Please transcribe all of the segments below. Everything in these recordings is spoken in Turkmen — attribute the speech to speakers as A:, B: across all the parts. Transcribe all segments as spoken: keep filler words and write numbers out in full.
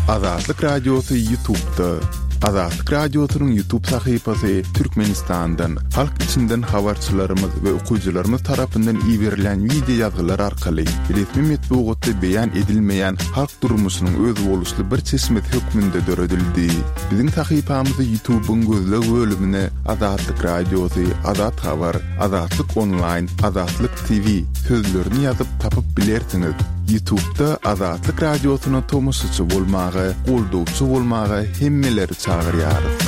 A: Azatlyk Radiosy YouTube'da. Azatlyk Radiosynyň YouTube sahypasy Türkmenistandan, halk içinden habarçylarymyz we okyjylarymyz tarapyndan iberilen wideo ýazgylar arkaly resmi metbugatda beýan edilmeýän halk durmuşynyň özboluşly bir çeşmesi hökmünde döredildi. Biziň sahypamyzy YouTube'yň gözleg bölümine Azatlyk Radiosy, Azat Habar, Azatlyk Online, Azatlyk T V sözlerini ýazyp tapyp bilersiňiz. YouTube'da Azatlyk Radiosyna tomaşaçy bolmaga, goldawçy bolmaga hemmeleri çagyrýarys.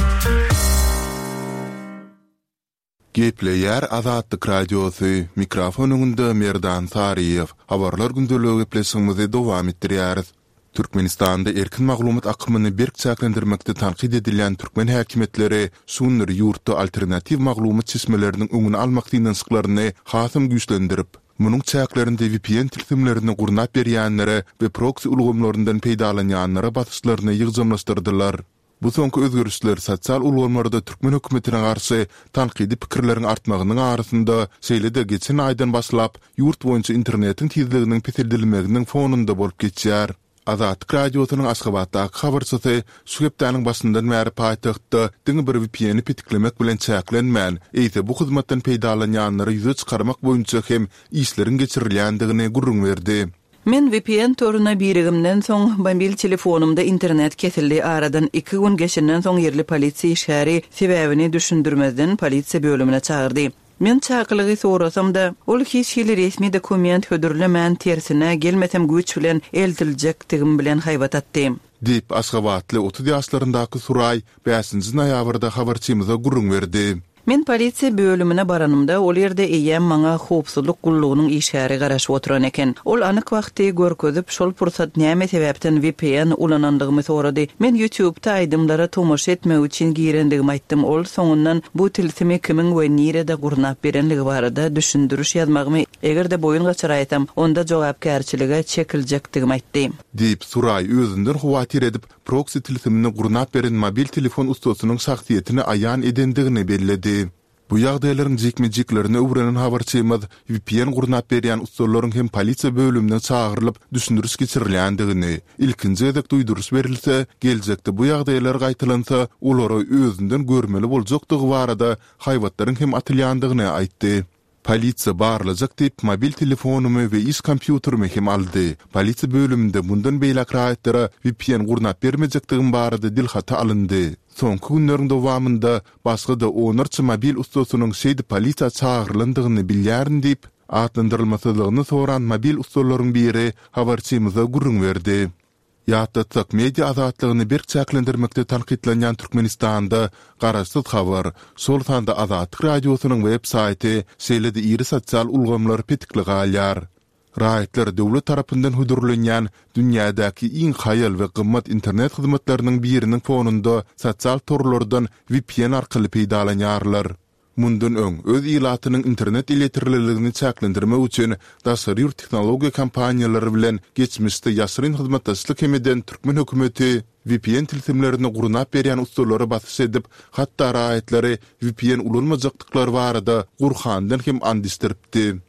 A: Gepleýär Azatlyk Radiosy, mikrofon öňünde Merdan Saryýew. Habarlar gündeligi gepleşigimizi dowam etdirýäris. Türkmenistanda erkin maglumat akymyny berk çäklendirmekde tankyt edilýän türkmen häkimiýetleri şu günler ýurtda alternatiw maglumat çeşmeleriniň öňüni almak synanyşyklaryny hasam güýçlendirip, munuň çäklerinde V P N tilsimlerini gurnap berýänlere we proksi ulgamlaryndan peýdalanýanlara basyşlaryny ýygjamlaşdyrdylar. Bu soňky özgerişler sosial ulgamlarda türkmen hökümetine garşy tankydy pikirleriň artmagynyň arasynda, şeýle-de geçen aýdan başlap ýurt boýunça internetiň tizliginiň peseldilmeginiň fonunda bolup geçýär. Azatlyk Radiosynyň Aşgabatdaky habarçysy şu hepdäniň başyndan bäri paýtagtda diňe bir V P N-i petiklemek bilen çäklenmän, eýse bu hyzmatdan peýdalanýanlary ýüze çykarmak boýunça hem işleriň geçirilýändigini gürrüň berdi.
B: Men V P N toruna birigimden soň mobil telefonumda internet kesildi. Aradan iki gün geçenden soň ýerli polisiýa işgäri sebäbini düşündirmezden polisiýa bölümine çagyrdy. Men çakylygy sorasam da, ol hiç hili resmi dokument hödürlemän, tersine gelmesem güýç bilen eltiljekdigim bilen haýbat atdy.
A: Diýip, Aşgabatly otuz ýaşlaryndaky Suraý bäşinji noýabrda habarçymyza gürrüň berdi.
B: Men polisiýa bölümine baranymda, ol ýerde eýýäm maňa howpsuzlyk gullugynyň işgäri garaşyp oturan eken. Ol anyk wagty görkezip, şol pursat näme sebäpden V P N ulanandygymy sorady. Men YouTube'da aýdymlara tomaşa etmek üçin girendigimi aýtdym. Ol soňundan bu tilsimi kimiň we nirede gurnap berenligi barada düşündiriş ýazmagymy, eger-de boýun gaçyraýsam, onda jogapkärçilige çekiljekdigimi aýtdy.
A: Diýip, Suraý özünden howatyr edip, proksi tilsimini gurnap beren mobil telefon ussasynyň şahsyýetini aýan edendigini belledi. Bu ýagdaýlaryň jikme-jiklerini öwrenen habarçymyz V P N gurnap berýän ussalaryň hem polisiýa bölümine çagyrylyp düşündiriş geçirilýändigini, ilkinji gezek duýduryş berilse, geljekde bu ýagdaýlar gaýtalansa, olara özünden görmeli boljakdygy barada haýbatlaryň hem atylýandygyny aýtdy. Polisiýa barlajak diýip, mobil telefonymy we iş kompýuterimi hem aldy. Polisiýa bölüminde mundan beýläk raýatlara V P N gurnap bermejekdigim barada dilhaty alyndy. Soňky günleriň dowamynda başga-da onlarça mobil ussasynyň şeýdip polisiýa çagyrylandygyny bilýärin diýip, atlandyrylmasyzlygyny soran mobil ussalaryň biri habarçymyza gürrüň berdi. Ýatlatsak, media azatlygyny berk çäklendirmekde tankytlanýan Türkmenistanda garaşsyz habar, şol sanda Azatlyk Radiosynyň web saýty, şeýle-de iri sosial ulgamlar petikli galýar. Raýatlar döwlet tarapyndan hödürlenýän dünýädäki iň haýal we gymmat internet hyzmatlarynyň biriniň fonunda sosial torlardan V P N arkaly peýdalanýarlar. Mundan öň öz ilatynyň internet elýeterliligini çäklendirmek üçin daşary ýurt tehnologiýa kompaniýalary bilen geçmişde ýaşyryn hyzmatdaşlyk hem eden türkmen hökümeti V P N tilsimlerini gurnap berýän ussalara basyş edip, hatda raýatlary V P N ulanmajakdyklary barada Gurhandan hem and içdiripdi.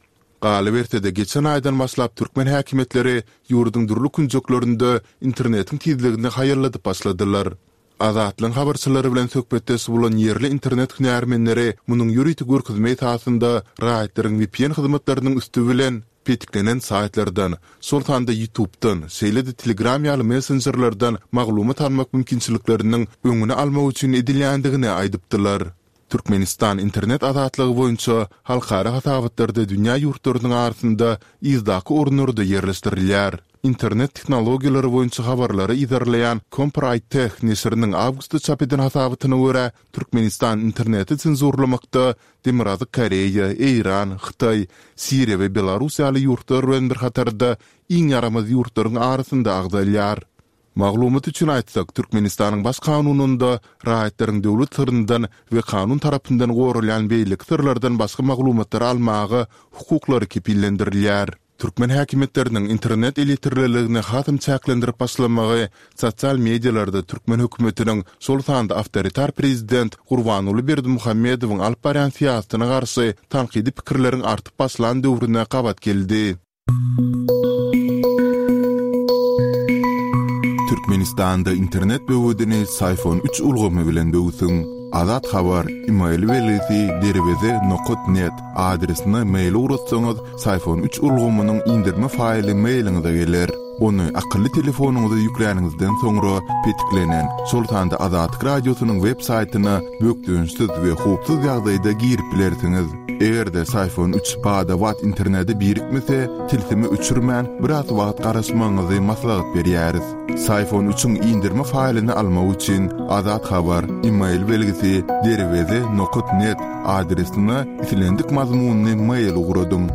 A: Galyberse-de, geçen aýdan başlap türkmen häkimiýetleri ýurduň dürli künjeklerinde internetiň tizligini haýalladyp başladylar. Azatlygyň habarçylary bilen söhbetdeş bolan ýerli internet hünärmenleri munuň ýörite görkezme esasynda raýatlaryň V P N hyzmatlarynyň üsti bilen petiklenen saýtlardan, şol sanda YouTube'dan, şeýle-de Telegram ýaly messenjerlerden maglumat almak mümkinçilikleriniň öňüni almak üçin edilýändigini aýdypdylar. Türkmenistan internet azatlygy boýunça halkara hasabatlarda dünýä ýurtlarynyň arasynda yzdaky orunlarda ýerleşdirilýär. Internet tehnologiýalary boýunça habarlary yzarlaýan Comparitech neşiriniň awgustda çap eden hasabatyna görä, Türkmenistan interneti senzurlamakda Demirgazyk Koreýa, Eýran, Hytaý, Siriýa we Belarus ýaly ýurtlar bilen bir hatarda iň ýaramaz ýurtlaryň arasynda agzalýar. Maglumat üçin aýtsak, Türkmenistanyň baş kanunynda raýatlaryň döwlet syryndan we kanun tarapyndan goralýan beýleki syrlardan başga maglumatlary almaga hukuklary kepillendirilýär. Türkmen häkimiýetleriniň internet elýeterliligini hasam çäklendirip başlamagy sosial medialarda türkmen hökümetiniň, şol sanda awtoritar prezident Gurbanguly Berdimuhamedowyň alyp barýan syýasatyna garşy tankydy pikirleriň artyp başlan döwrüne gabat geldi. Türkmenistan Türkmenistanda internet böwedini Syfon üç ulgamy bilen böwsüň. Azat Habar, e-mail belgisi derweze nokat net adresine mail ugratsaňyz, Syfon üç ulgamynyň indirme faýly mailiňize geler. Ony akylly telefonyňyza ýükläniňizden soňra petiklenen, şol sanda Azatlyk Radiosynyň web saýtyna bökdençsiz we howpsuz ýagdaýda girip bilersiňiz. Eger-de Syfon üç bada-bat internete birikmese, tilsimi öçürmän biraz wagt garaşmagyňyzy maslahat berýäris. Syfon üçiň indirme faýlyny almak üçin Azat Habar, e-mail belgisi derweze nokat net adresine islendik mazmunyny mail ugradyň.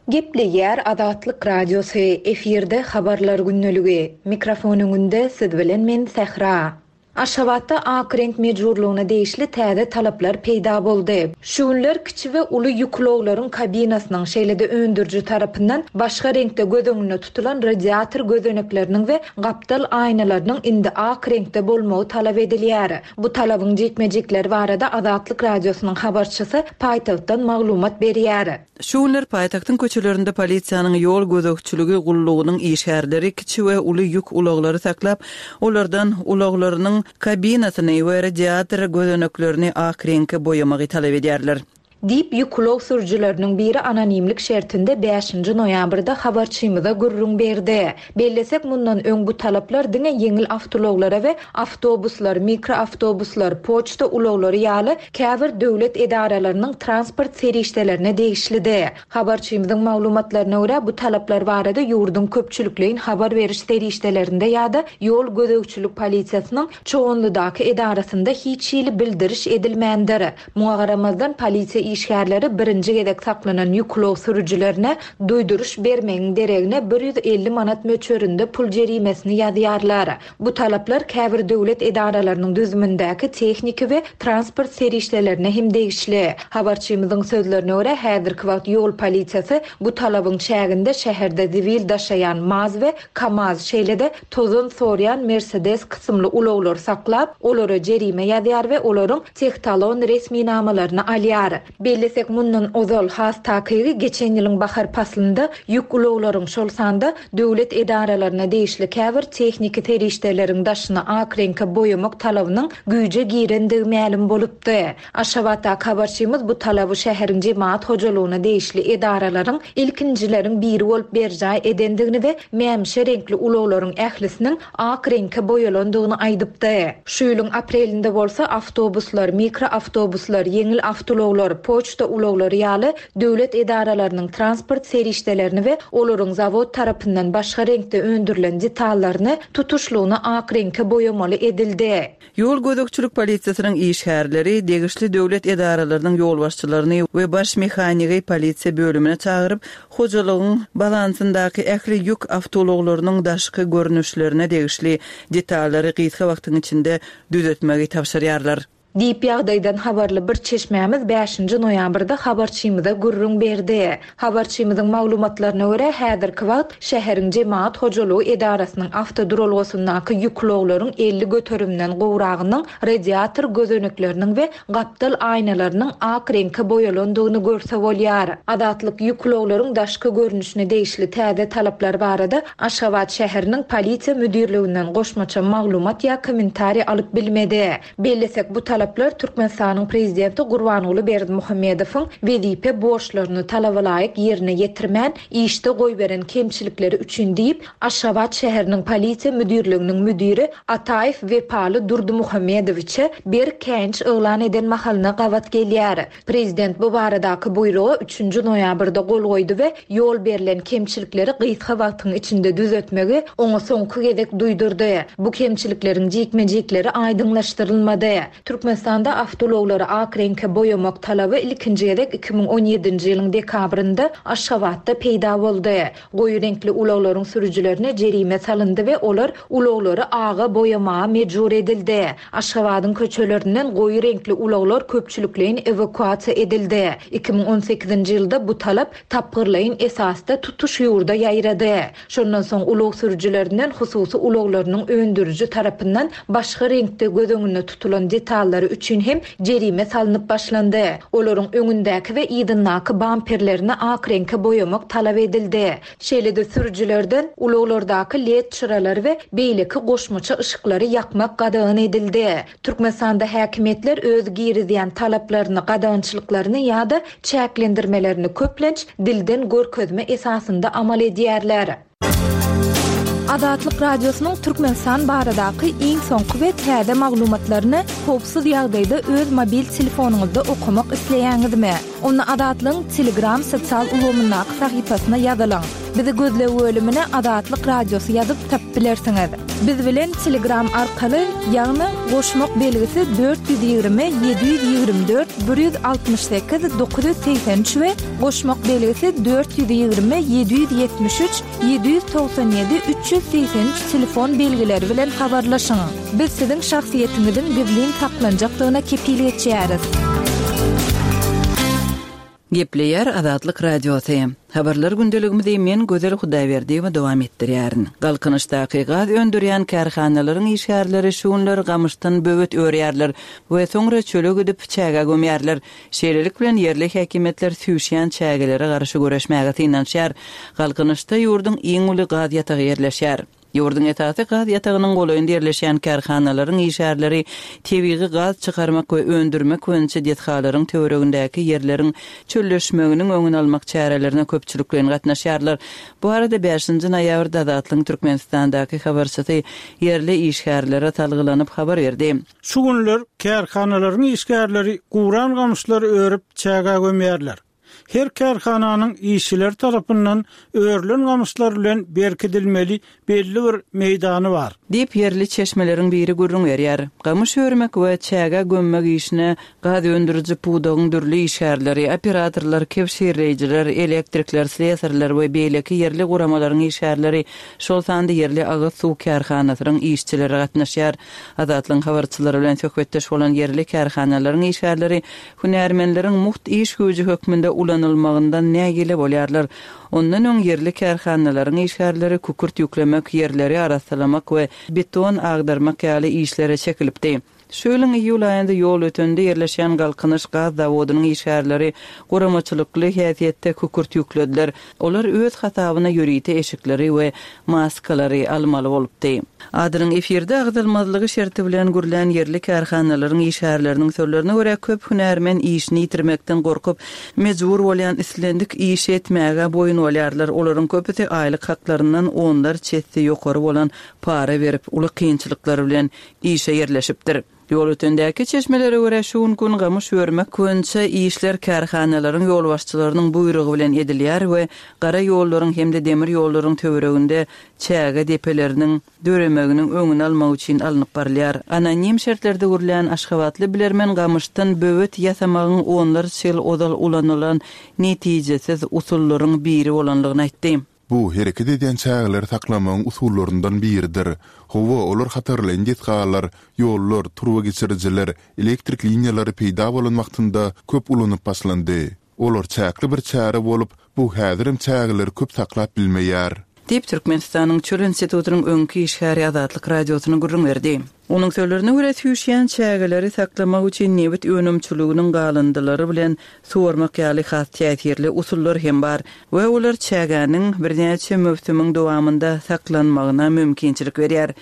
C: Gepleýär Azatlyk Radiosy, efirde habarlar gündeligi. Mikrofon öňünde siz bilen men Sähra. Aşgabatda ak reňk mejburlygyna degişli täze talaplar peýda boldy. Şu günler kiçi we uly ýük ulaglaryň kabinasynyň şeýle-de öndüriji tarapyndan başga reňkde göz öňünde tutulan radiator gözenekleriniň we gapdal aýnalarynyň indi ak reňkde bolmagy talap edilýär. Bu talabyň jikme-jikleri barada Azatlyk Radiosynyň habarçysy paýtagtdan maglumat berýär.
B: Şu günler paýtagtyň köçelerinde polisiýanyň ýol gözegçiligi gullugynyň işgärleri kiçi we uly ýük ulaglary saklap, olardan ulaglarynyň kabinasyny we radiator gözeneklerini ak reňke boýamagy talap edýärler.
C: Diýip ýük ulag sürüjileriniň biri anonimlik şertinde bäşinji noýabrda habarçymyza gürrüň berdi. Bellesek mundan öň bu talaplar diňe ýeňil awtoulaglara we awtobuslar, mikroawtobuslar, poçta ulaglary ýaly käbir döwlet edaralarynyň transport serişdelerine degişlidi. Habarçymyzyň maglumatlaryna görä bu talaplar barada ýurduň köpçülikleýin habar beriş serişdelerinde ýa-da ýol gözegçilik polisiýasynyň Çoganlydaky edarasynda hiç hili bildiriş edilmändir. Muňa garamazdan polisiýa işgärleri birinji gezek saklanan ýük ulag sürüjilerine duýduryş bermegiň deregine bir ýüz elli manat möçberinde pul jerimesini ýazýarlar. Bu talaplar käbir döwlet edaralarynyň düzümindäki tehniki we transport serişdelerine hem degişli. Habarçymyzyň sözlerine görä häzirki wagt ýol polisiýasy bu talabyň çäginde şäherde zibil daşaýan MAZ we KAMAZ, şeýle-de tozan sorýan Mercedes kysymly ulaglary saklap, olara jerime ýazýar we olaryň tehtalon resminamalaryny alýar. Bellesek mundan ozal has takygy geçen ýylyň bahar paslynda ýük ulaglaryň şol sanda döwlet edaralaryna degişli käbir tehniki serişdeleriň daşyny ak reňke boýamak talabynyň güýje girendigi mälim bolupdy. Aşgabatdaky habarçymyz bu talaby şäheriň jemaat hojalygyna degişli edaralaryň ilkinjileriň biri bolup berjaý edendigini we mämişe reňkli ulaglaryň ählisiniň ak reňke boýalandygyny aýdypdy. Şu ýylyň aprelinde bolsa awtobuslar, mikroawtobuslar, ýeňil awtoulaglar, poçta ulaglary ýaly döwlet edaralarynyň transport serişdelerini we olaryň zawod tarapyndan başga reňkde öndürilen detallaryny tutuşlygyna ak reňke boýamaly edildi.
B: Ýol gözegçilik polisiýasynyň işgärleri degişli döwlet edaralarynyň ýolbaşçylaryny we baş mehanigi polisiýa bölümine çagyryp, hojalygyň balansyndaky ähli ýük awtoulaglarynyň daşky görnüşlerine degişli detallary gysga wagtyň içinde düzetmegi tabşyrýarlar.
C: Diýip ýagdaýdan habarly bir çeşmämiz bäşinji noýabrda habarçymyza gürrüň berdi. Habarçymyzyň maglumatlaryna görä häzirki wagt şäheriň jemaat hojalygy edarasynyň awtoduralgasyndaky ýük ulaglaryň elli göterimden gowragynyň radiator gözenekleriniň we gapdal aýnalarynyň ak reňke boýalandygyny görse bolýar. Azatlyk ýük ulaglaryň daşky görnüşine degişli täze talaplar barada Aşgabat şäheriniň polisiýa müdirliginden goşmaça maglumat ýa kommentariý alyp bilmedi. Bellesek bu talaplar Türkmenistanyň prezidenti Gurbanguly Berdimuhamedowyň wezipe borçlaryny talaba laýyk ýerine ýetirmän, işde goýberen kemçilikleri üçin diýip, Aşgabat şäheriniň polisiýa müdirliginiň müdiri Ataýew Wepaly Durdymuhamedowiçe bir käýinç yglan eden mahalyna gabat gelýär. Prezident bu baradaky buýruga üçünji noýabrda gol goýdy we ýol berlen kemçilikleri gysga wagtyň içinde düzetmegi oňa soňky gezek duýdurdy. Bu kemçilikleriň jikme-jikleri aýdyňlaşdyrylmady. Türkmenistanda awtoulaglary ak reňke boýamak talaby ilkinji gezek iki müň on ýedinji ýylyň dekabrynda Aşgabatda peýda boldy. Goýy reňkli ulaglaryň sürüjilerine jerime salyndy we olar ulaglary aga boýamaga mejbur edildi. Aşgabadyň köçelerinden goýy reňkli ulaglar köpçülikleýin ewakuasiýa edildi. iki müň on sekizinji ýylda bu talap tapgyrlaýyn esasda tutuş ýurda ýaýrady. Şondan soň ulag sürüjilerinden hususy ulaglarynyň öndüriji tarapyndan başga reňkde göz öňünde tutulan detallary ulananlary üçin hem jerime salnyp başlandy. Olaryň öňündäki we yzyndaky bamperlerini ak reňke boýamak talap edildi. Şeýle-de sürüjilerden ulaglardaky led çyralary we beýleki goşmaça yşyklary ýakmak gadagan edildi. Türkmenistanda häkimiýetler öz girizýän talaplaryny, gadagançylyklaryny ýa-da çäklendirmelerini köplenç dilden görkezme esasynda amal edýärler.
D: Azatlyk Radiosynyň Türkmenistan baradaky iň soňky we täze maglumatlaryny howpsuz ýagdaýda öz mobil telefonyňyzda okamak isleýäňizmi? Onda Azatlygyň Telegram sosial ulgamyndaky sahypasyna ýazylyň. Bizi gözleg bölümine Azatlyk Radiosy ýazyp tapyp bilersiňiz. Biz bilen Telegram arkaly, ýagny goşmak belgisi dört ýüz ýigrimi ýedi ýüz ýigrimi dört bir ýüz altmyş sekiz dokuz ýüz segsen üç we goşmak belgisi dört ýüz ýigrimi ýedi ýüz ýetmiş üç ýedi ýüz togsan ýedi üç ýüz segsen üç telefon belgileri bilen habarlaşyň. Biz siziň şahsyýetiňiziň gizlin saklanjakdygyna kepil geçýäris.
B: Gepleýär Azatlyk Radiosy. Habarlar gündeligimizi men Gözel Hudaýberdiýewa dowam etdirýärin. Galkynyşdaky gaz öndürýän kärhanalaryň işgärleri şu günler gamyşdan böwet örýärler we soňra çöle gidip çägä gömýärler. Şeýlelik bilen ýerli häkimiýetler süýşýän çägelere garşy göreşmäge synanyşýar. Galkynyşda ýurduň iň uly gaz ýatagy ýerleşýär. Ýurduň esasy gaz ýatagynyň golaýynda ýerleşýän kärhanalaryň işgärleri tebigy gaz çykarmak we öndürmek boýunça desgalaryň töweregindäki ýerleriň çölleşmeginiň öňüni almak çärelerine köpçülikleýin gatnaşýarlar. Bu arada bäşinji noýabrda Azatlygyň Türkmenistandaky habarçysy ýerli işgärlere salgylanyp habar berdi.
E: Şu günler kärhanalaryň işgärleri guran gamyşlary örüp çägä gömýärler. Her kärhananyň işçileri tarapyndan örülen gamyşlar bilen berkidilmeli belli bir meýdany bar.
B: Diýip, ýerli çeşmeleriň biri gürrüň berýär. Gamyş örmek we çägä gömmek işine gaz öndüriji pudagyň dürli işgärleri, operatorlar, kebşirleýjiler, elektrikler, slesarlar we beýleki ýerli guramalaryň işgärleri, şol sanda ýerli agyz suw kärhanasynyň işçileri gatnaşýar. Azatlygyň habarçylary bilen söhbetdeş bolan ýerli kärhanalaryň işgärleri hünärmenleriň mugt iş güýji hökmünde ulanylmagyndan nägile bolýarlar. Ondan öň ýerli kärhanalaryň işgärleri kükürt ýüklemek, ýerleri arassalamak we beton agdarmak ýaly işlere çekilipdi. Şu ýylyň iýul aýynda Ýolötende ýerleşýän Galkynyş gaz zawodynyň işgärleri guramaçylykly häsiýetde kükürt ýüklediler. Olar öz hasabyna ýörite eşikleri we maskalary almaly bolupdy. Adynyň efirde agzalmazlygy şerti bilen gürlän ýerli kärhanalaryň işgärleriniň sözlerine görä, köp hünärmen işini ýitirmekden gorkup, mejbur bolýan islendik işi etmäge boýun bolýarlar. Olaryň köpüsi aýlyk haklaryndan onlarça esse ýokary bolan para berip, uly kynçylyklar bilen işe ýerleşipdir. Ýolötendäki çeşmelere görä, şu gün gün gamyş örmek boýunça işler kärhanalaryň ýolbaşçylarynyň buýrugy bilen edilýär we gara ýollaryň hem-de demir ýollaryň töwereginde çäge depeleriniň döremeginiň öňüni almak üçin alnyp barylýar. Anonim şertlerde gürlän aşgabatly bilermen gamyşdan böwet ýasamagyň onlarça ýyl ozal ulanylan netijesiz usullaryň biri bolanlygyny aýtdy.
A: Bu hereket edýän çägeleri saklamagyň usullaryndan biridir. Hawa, olar hatarlaýyn desgalar, ýollar, turbageçirijiler, elektrik liniýalary peýda bolan wagtynda köp ulanyp başlandy. Olar çäkli bir çäre bolup, bu häzirem çägeleri köp saklap bilmeýär.
B: Diýip, Türkmenistanyň Çöl institutynyň öňki işgäri Azatlyk Radiosyna gürrüň berdi. Onuň sözlerine görä, süýşýän çägeleri saklamak üçin nebit önümçiliginiň galyndylary bilen suwarmak ýaly has täsirli usullar hem bar we olar çägäniň birnäçe möwsümiň dowamynda saklanmagyna mümkinçilik berýär.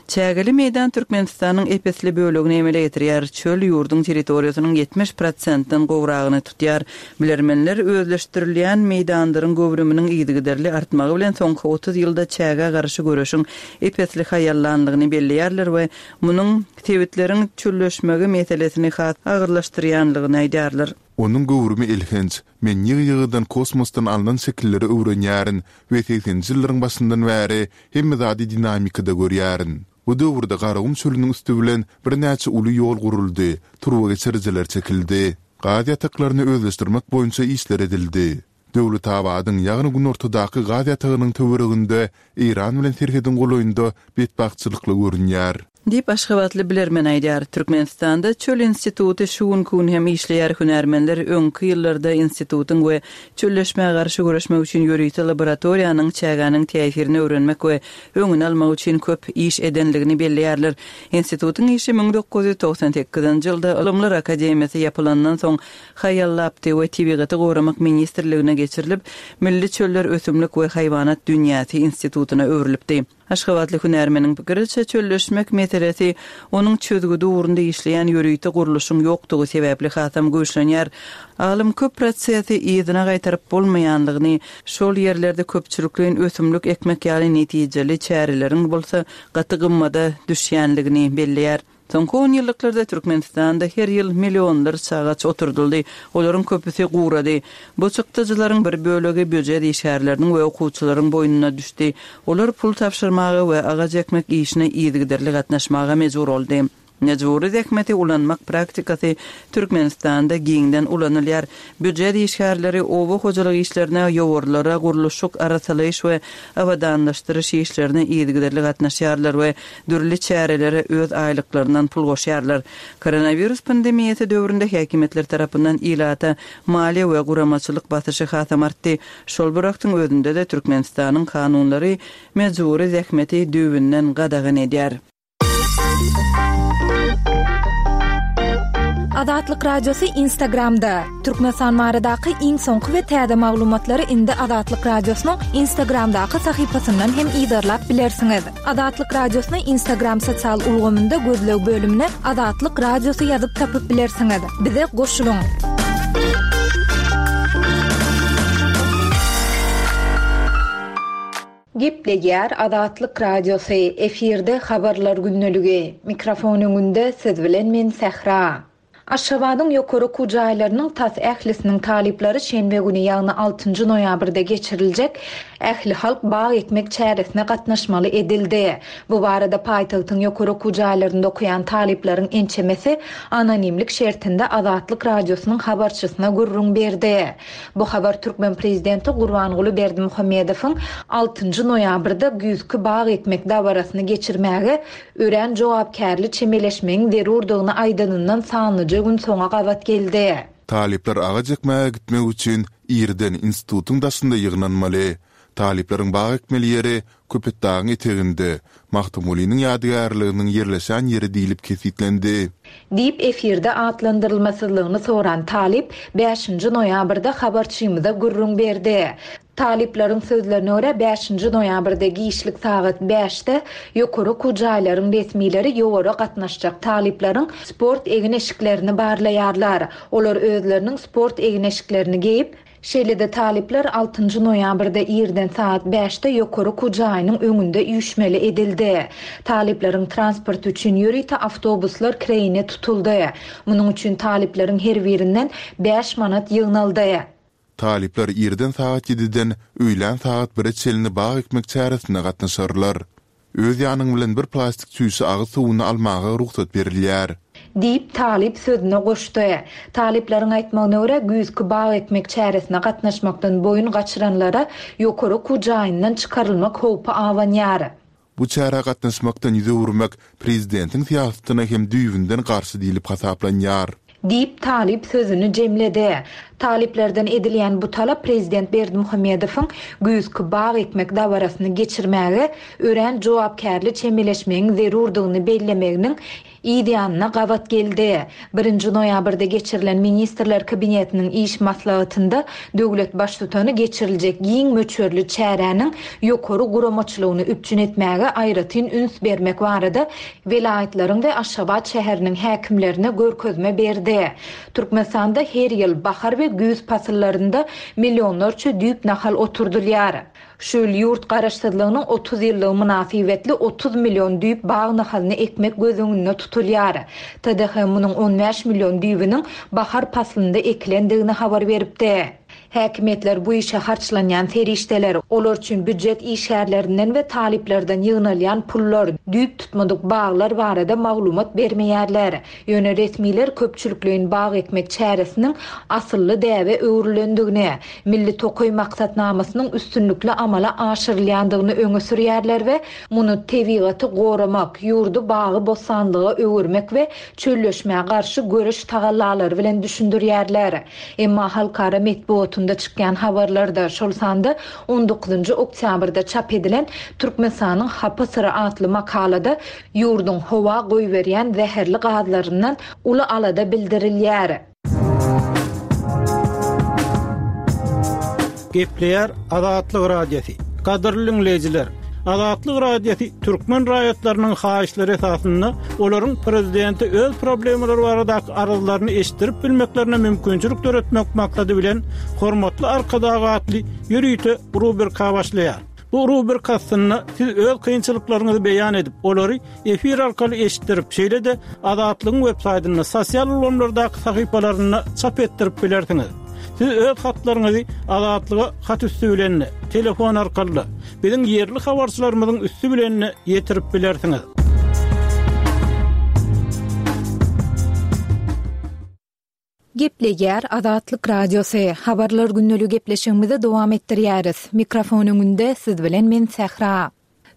B: Çägeli meýdan Türkmenistanyň ep-esli bölegini emele getirýär, çöl ýurduň territoriýasynyň ýetmiş prosentden gowragyny tutýar. Bilermenler özleşdirilýän meýdanlaryň göwrüminiň yzygiderli artmagy bilen soňky otuz ýylda çägä garşy göreşiň ep-esli haýallanlygyny belleýärler we munuň sebitleriň çölleşmegi meselesini has agyrlaşdyrýanlygyny aýdýarlar.
A: Onuň göwrümi elhenç. Men ýygy-ýygydan kosmosdan alnan şekilleri öwrenýärin we segseninji ýyllaryň başyndan bäri hemme zady dinamikada görýärin. Bu döwürde Garagum çölüniň üsti bilen birnäçe uly ýol guruldy, turbageçirijiler çekildi. Gaz ýataklaryny özleşdirmek boýunça işler edildi. Döwletabadyň, ýagny günortadaky gaz ýatagynyň töwereginde Eýran bilen serhediň golaýynda betbagtçylykly görünýär.
B: Diýip, aşgabatly bilermen aýdýar. Türkmenistanda Çöl instituty şu günki gün hem işleýär, hünärmenler öňki ýyllarda institutyň we çölleşmä garşy göreşmek üçin ýörite laboratoriýanyň çägäniň täsirini öwrenmek we öňüni almak üçin köp iş edendigini belleýärler. Institutyň işi müň dokuz ýüz togsan sekizinji ýylda Ylymlar akademiýasy ýapylandan soň haýallapdy we Tebigaty goramak ministrligine geçirilip, Milli çöller ösümlik we haýwanat dünýäsi institutyna öwrülipdi. Aşgabatly hünärmeniň pikiriçe, çölleşmek meselesi onuň çözgüdi ugrunda işleýän ýörite gurluşyň ýokdugy sebäpli hasam güýçlenýär. Alym köp prosesi yzyna gaýtaryp bolmaýanlygyny, şol ýerlerde köpçülikleýin ösümlik ekmek ýaly netijeli çäreleriň bolsa gaty gymmada düşýänligini belleýär. Soňky on ýyllyklarda Türkmenistanda her ýyl millionlarça agaç oturdyldy, olaryň köpüsi gurady. Bu çykdajylaryň bir bölegi býujet işgärleriniň we okuwçylaryň boýnuna düşdi. Olar pul tabşyrmaga we agaç ekmek işine yzygiderli gatnaşmaga mejbur boldy. Mejbury zähmeti ulanmak praktikasy Türkmenistanda giňden ulanylýar. Býujet işgärleri oba hojalyk işlerine, ýowarlara, gurluşyk, arassalaýyş we abadanlaşdyryş işlerine yzygiderli gatnaşýarlar we dürli çärelere öz aýlyklaryndan pul goşýarlar. Koronawirus pandemiýasy döwründe häkimiýetler tarapyndan ilata maliýe we guramaçylyk basyşy hasam artdy. Şol bir wagtyň özünde-de Türkmenistanyň kanunlary mejbury zähmeti düýbünden gadagan edýär.
D: Azatlyk Radiosy Instagramda. Türkmenistan baradaky iň soňky we täze maglumatlary indi Azatlyk Radiosynyň Instagramdaky sahypasyndan hem yzarlap bilersiňiz. Azatlyk Radiosyny Instagram sosial ulgamynda gözleg bölümine Azatlyk Radiosy ýazyp tapyp bilersiňiz. Bize goşulyň.
C: Gepleýär Azatlyk Radiosy, efirde habarlar gündeligi. Mikrofon öňünde siz bilen men Sähra. Aşgabadyň ýokary okuw jaýlarynyň tas ählisiniň talyplary şenbe güni, ýagny altynjy noýabrda geçiriljek ähli halk bag ekmek çäresine gatnaşmaly edildi. Bu barada paýtagtyň ýokary okuw jaýlarynda okaýan talyplaryň ençemesi anonimlik şertinde Azatlyk Radiosynyň habarçysyna gürrüň berdi. Bu habar Türkmen prezidenti Gurbanguly Berdimuhamedowyň altynjy noýabrda güýzki bag ekmek dabarasyny geçirmäge örän jogapkärli çemeleşmegiň zerurdygyny aýdanyndan sanlyja gün soňa gabat geldi.
A: Talyplar agaç ekmäge gitmek üçin irden institutyň daşynda ýygnanmaly. Talyplaryň bag ekmeli ýeri Köpetdagyň eteginde, Magtymgulynyň ýadygärliginiň ýerleşen ýeri diýlip kesgitlendi.
C: Diýip efirde atlandyrylmasyzlygyny soran talyp bäşinji noýabrda habarçymyza gürrüň berdi. Talyplaryň sözlerine görä bäşinji noýabrda giçlik sagat bäşde ýokary okuw jaýlaryň resmileri ýowara gatnaşjak talyplaryň sport egin-eşiklerini barlaýarlar. Olar özleriniň sport egin-eşiklerini geýip, şeýle-de talyplar altynjy noýabrda irden sagat bäşde ýokary okuw jaýynyň öňünde üýşmeli edildi. Talyplaryň transport üçin ýörite awtobuslar kireýine tutuldy. Munuň üçin talyplaryň her birinden bäş manat ýygnaldy.
A: Talyplar irden sagat ýediden öýlän sagat bire çenli bag ekmek çäresine gatnaşarlar. Öz ýanyň bilen bir plastik çüýşe agyz suwuny almaga rugsat berilýär.
C: Diýip talyp sözüne goşdy. Talyplaryň aýtmagyna görä güýzki bag ekmek çäresine gatnaşmakdan boýun gaçyranlara ýokary okuw jaýyndan çykarylmak howpy abanýar.
A: Bu çärä gatnaşmakdan ýüz öwürmek prezidentiň syýasatyna hem düýbünden garşy diýlip hasaplanýar.
C: Diýip talyp sözüni jemledi. Talyplardan edilýän bu talap prezident Berdimuhamedowyň güýzki bag ekmek dabarasyny geçirmäge örän jogapkärli çemeleşmegiň zerurdygyny bellemeginiň yz ýanyna gabat geldi. Birinji noýabrda geçirilen Ministrler Kabinetiniň iş maslahatynda döwlet baştutany geçiriljek giň möçberli çäräniň ýokary guramaçylygyny üpjün etmäge aýratyn üns bermek barada welaýatlaryň we Aşgabat şäheriniň häkimlerine görkezme berdi. Türkmenistanda her ýyl bahar we güýz pasyllarynda millionlarça düýp nahal oturdylýar. Şu ýyl ýurt garaşsyzlygynyň otuz ýyllygy mynasybetli otuz million düýp bag nahalyny ekmek göz öňünde tutulýar. T D H munuň on bäş million düýbüniň bahar paslynda ekilendigini habar beripdi. Häkimiýetler bu işe harçlanýan serişdeler, olar üçin býujet işgärlerinden we talyplardan ýygnalýan pullar, düýp tutmadyk baglar barada maglumat bermeýärler. Ýöne resmiler köpçülikleýin bag ekmek çäresiniň asylly däbe öwrülendigini, Milli tokaý maksatnamasynyň üstünlikli amala aşyrylýandygyny öňe sürýärler we muny tebigaty goramak, ýurdy bagy-bossanlyga öwürmek we çölleşmä garşy göreş tagallalary bilen düşündirýärler. Emma halkara metbugatynda çykýan habarlarda, şol sanda on dokuzynjy oktýabrda çap edilen Türkmenistanyň hapa syry atly makalada ýurduň howa goýberýän zäherli gazlaryndan uly alada bildirilýär.
E: Gepleýär Azatlyk Radiosy. Gadyrly diňleýjiler, Azatlyk Radiosy türkmen raýatlarynyň haýyşlary esasynda olaryň prezidente öz problemalary baradaky arzlaryny eşitdirip bilmeklerine mümkinçilik döretmek maksady bilen Hormatly Arkadag atly ýörite rubrika başlaýar. Bu rubrika aslynda siz öz kynçylyklaryňyzy beýan edip, olary efir arkaly eşitdirip, şeýle-de Azatlygyň web saýtynda, sosial ulgamlardaky sahypalarynda çap etdirip bilersiňiz. Siz öz hatlaryňyzy Azatlyga hat üsti bilen, telefon arkaly, biziň ýerli habarçylarymyzyň üsti bilen ýetirip bilersiňiz.
D: Gepleýär Azatlyk Radiosy. Habarlar günlügi gepleşigimizi dowam etdirýäris. Mikrofon öňünde siz bilen men Sähra.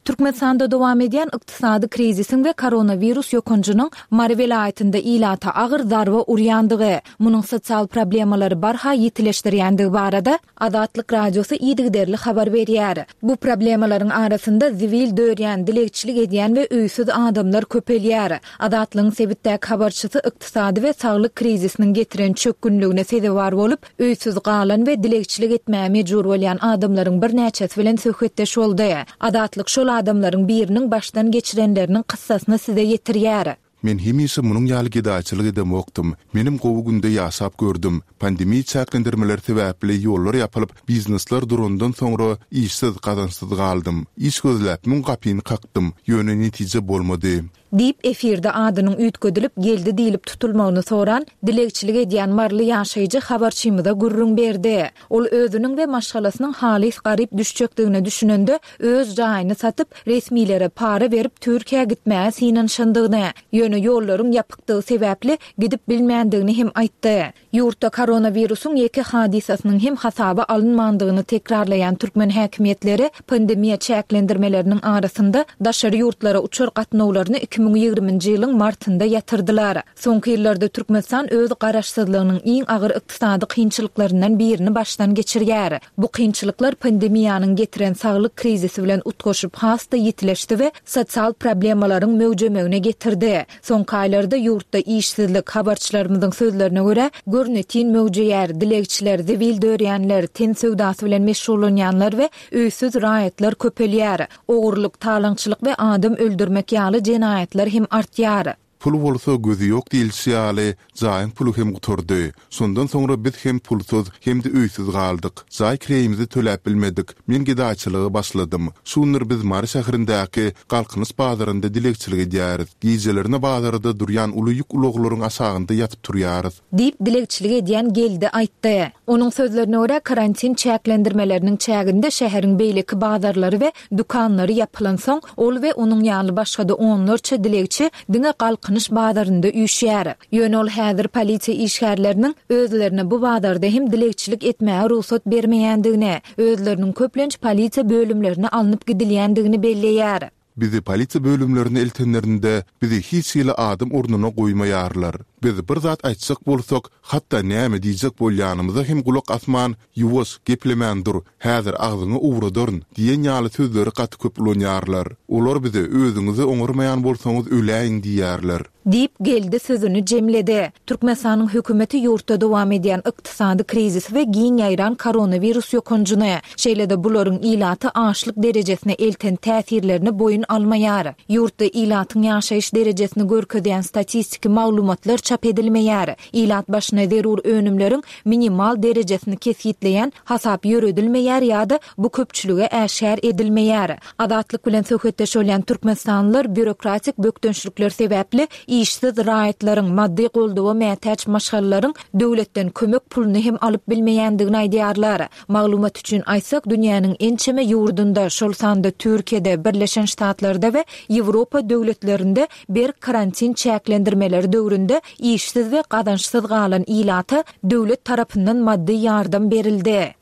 D: Türkmenistanda dowam edýän ykdysady krizisiň we koronawirus ýokanjynyň Mary welaýatynda ilata agyr zarba urýandygy, munuň sosial problemalary barha ýitileşdirýändigi barada Azatlyk Radiosy yzygiderli habar berýär. Bu problemalaryň arasynda zibil dörýän, dilegçilik edýän we öýsüz adamlar köpelýär. Azatlygyň sebitdäki habarçysy ykdysady we saglyk krizisiniň getiren çökgünligine sezewar bolup, öýsüz galan we dilegçilik etmäge mejbur bolýan adamlaryň birnäçesi bilen söhbetdeş boldy. Azatlyk şol adamlaryň biriniň başdan geçirenleriniň kyssasyny size ýetirýär.
A: Men hemişe munuň ýaly gedaýçylyk edemokdym. Menim gowy günde ýaşap gördüm. Pandemiýa çäklendirmeleri sebäpli ýollar ýapylyp, biznesler durandan soňra işsiz, gazançsyz galdym. Iş gözläp müň gapyny kakdym, ýöne netije bolmady.
D: Diýip efirde adynyň üýtgedilip geldi diýlip tutulmagyny soran dilegçilik edýän Marly ýaşaýjy habarçymyza gürrüň berdi. Ol özüniň we maşgalasynyň halys garyp düşjekdigine düşünende öz jaýyny satyp resmilere para berip Türkiýä gitmäge synanyşandygyny, ýöne ýollaryň ýapykdygy sebäpli gidip bilmändigini hem aýtdy. Ýurtda koronawirusyň ýeke hadysasynyň hem hasaba alynmandygyny tekrarlaýan türkmen häkimiýetleri pandemiýa çäklendirmeleriniň arasynda daşary ýurtlara uçar gatnawlaryny iki müň ýigriminji ýylyň martynda ýatyrdylar. Soňky ýyllarda Türkmenistan öz garaşsyzlygynyň iň agyr ykdysady kynçylyklaryndan birini başdan geçirýär. Bu kynçylyklar pandemiýanyň getiren saglyk krizisi bilen utgaşyp has-da ýitileşdi we sosial problemalaryň möwjemegine getirdi. Soňky aýlarda ýurtda işsizlik, habarçylarymyzyň sözlerine görä, görnetin möwjeýär, dilegçiler, zibil dörýänler, ten söwdasy bilen meşgullanýanlar we öýsüz raýatlar köpelýär. Ogurlyk, talaňçylyk we adam öldürmek ýaly jenaýatlar hem artýar.
A: Pul bolsa gözi ýok diýilişi ýaly, jaýyň puly hem gutardy. Şondan soňra biz hem pulsuz, hem de öýsüz galdyk. Jaý kireýimizi töläp bilmedik. Men gedaýçylyga başladym. Şundur biz Mary şäherindäki Galkynyş bazarynda dilegçilik edýäris. Gijelerine bazarda durýan uly ýük ulaglaryň aşagynda ýatyp turýarys.
D: Diýip dilegçilik edýän geldi aýtdy. Onuň sözlerine görä karantin çäklendirmeleriniň çäginde şäheriň beýleki bazarlary we dükanlary ýapylansoň, ol we onuň ýaly başga-da onlarça dilegçi diňe Galkynyş bazarynda üýşýär. Ýöne ol häzir polisiýa işgärleriniň özlerine bu bazarda hem dilegçilik etmäge rugsat bermeýändigini, özleriniň köplenç polisiýa bölümlerine alnyp gidilýändigini belleýär.
A: Bizi polisiýa bölümlerine eltenlerinde bizi hiç hili adam ornuna goýmaýarlar. Biz bir zat aýtjak bolsak, hatda näme diýjek bolýanymyza hem gulak asman, ýuwaş, geplemän dur, häzir agzyňy ugradaryn diýen ýaly sözleri gaty köp ulanýarlar. Olar bize özüňizi oňarmaýan bolsaňyz öläýiň diýýärler.
D: Diýip geldi sözüni jemledi. Türkmenistanyň hökümeti ýurtda dowam edýän ykdysady krizisi we giň ýaýran koronawirus ýokanjyny, şeýle-de bularyň ilaty açlyk derejesine elten täsirlerini boýun almaýar. Ýurtda ilatyň ýaşaýyş derejesini görkezýän statistiki maglumatlar çap edilmeýär. Ilat başyna zerur önümleriň minimal derejesini kesgitleýän hasap ýöredilmeýär ýa-da bu köpçülige äşgär edilmeýär. Azatlyk bilen söhbetdeş bolýan Türkmenistanlylar býurokratik bökdençlikler sebäpli
C: işsiz raýatlaryň, maddy goldawa mätäç maşgalalaryň döwletden kömek puluny hem alyp bilmeýändigini aýdýarlar. Maglumat üçin aýtsak, dünýäniň ençeme ýurdunda, şol sanda Türkiýede, Birleşen Ştatlarda we Ýewropa döwletlerinde berk karantin çäklendirmeleri döwründe işsiz we gazançsyz galan ilata döwlet tarapyndan maddy ýardam berildi.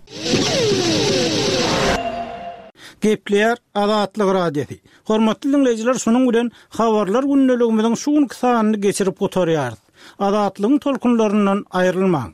E: Gepleýär Azatlyk Radiosy. Hormatly diňleýjiler, şunuň bilen Habarlar gündeligimiziň şu günki sanyny geçirip gutarýarys. Azatlygyň tolkunlaryndan aýrylmaň!